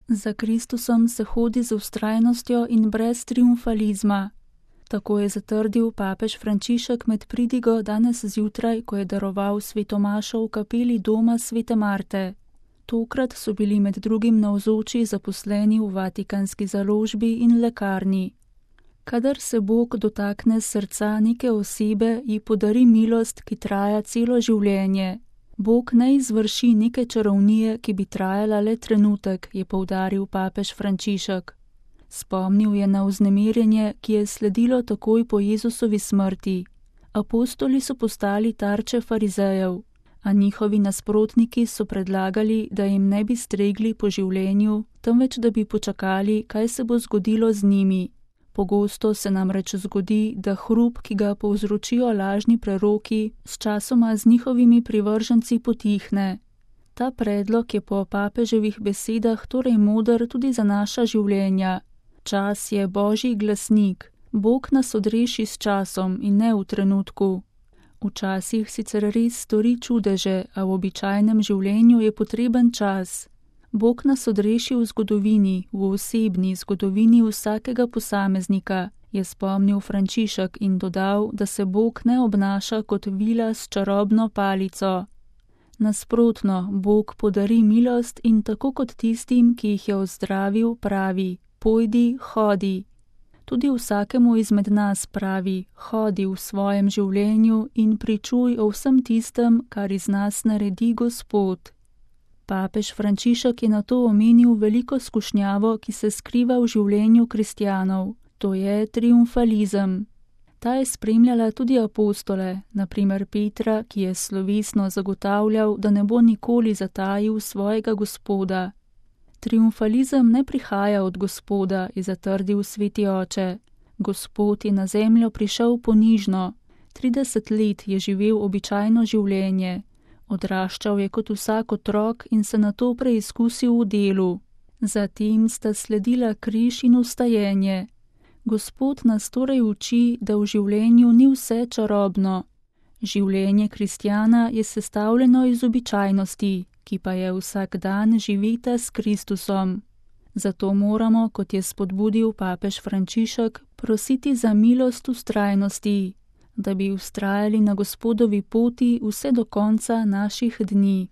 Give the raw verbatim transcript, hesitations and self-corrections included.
Za Kristusom se hodi z vztrajnostjo in brez triumfalizma. Tako je zatrdil papež Frančišek med pridigo danes zjutraj, ko je daroval sveto mašo v kapeli doma svete Marte. Tokrat so bili med drugim navzoči zaposleni v Vatikanski založbi in lekarni. Kadar se Bog dotakne srca neke osebe, ji podari milost, ki traja celo življenje. Bog ne izvrši neke čarovnije, ki bi trajala le trenutek, je poudaril papež Frančišek. Spomnil je na vznemirjenje, ki je sledilo takoj po Jezusovi smrti. Apostoli so postali tarče farizejev, a njihovi nasprotniki so predlagali, da jim ne bi stregli po življenju, temveč da bi počakali, kaj se bo zgodilo z njimi. Pogosto se namreč zgodi, da hrup, ki ga povzročijo lažni preroki, sčasoma z njihovimi privrženci potihne. Ta predlog je po papeževih besedah torej moder tudi za naša življenja. Čas je Božji glasnik. Bog nas odreši s časom in ne v trenutku. Včasih sicer res stori čudeže, a v običajnem življenju je potreben čas. Bog nas odreši v zgodovini, v osebni zgodovini vsakega posameznika, je spomnil Frančišek in dodal, da se Bog ne obnaša kot vila s čarobno palico. Nasprotno, Bog podari milost in tako kot tistim, ki jih je ozdravil, pravi: pojdi, hodi. Tudi vsakemu izmed nas pravi: hodi v svojem življenju in pričuj o vsem tistem, kar iz nas naredi Gospod. Papež Frančišek je nato omenil veliko skušnjavo, ki se skriva v življenju kristjanov, to je triumfalizem. Ta je spremljala tudi apostole, na primer Petra, ki je slovesno zagotavljal, da ne bo nikoli zatajil svojega Gospoda. Triumfalizem ne prihaja od Gospoda, je zatrdil sveti oče. Gospod je na zemljo prišel ponižno. trideset let je živel običajno življenje. Odraščal je kot vsak otrok in se nato preizkusil v delu. Zatem sta sledila križ in vstajenje. Gospod nas torej uči, da v življenju ni vse čarobno. Življenje kristjana je sestavljeno iz običajnosti, ki pa je vsak dan živita s Kristusom. Zato moramo, kot je spodbudil papež Frančišek, prositi za milost vztrajnosti, da bi vztrajali na Gospodovi poti vse do konca naših dni.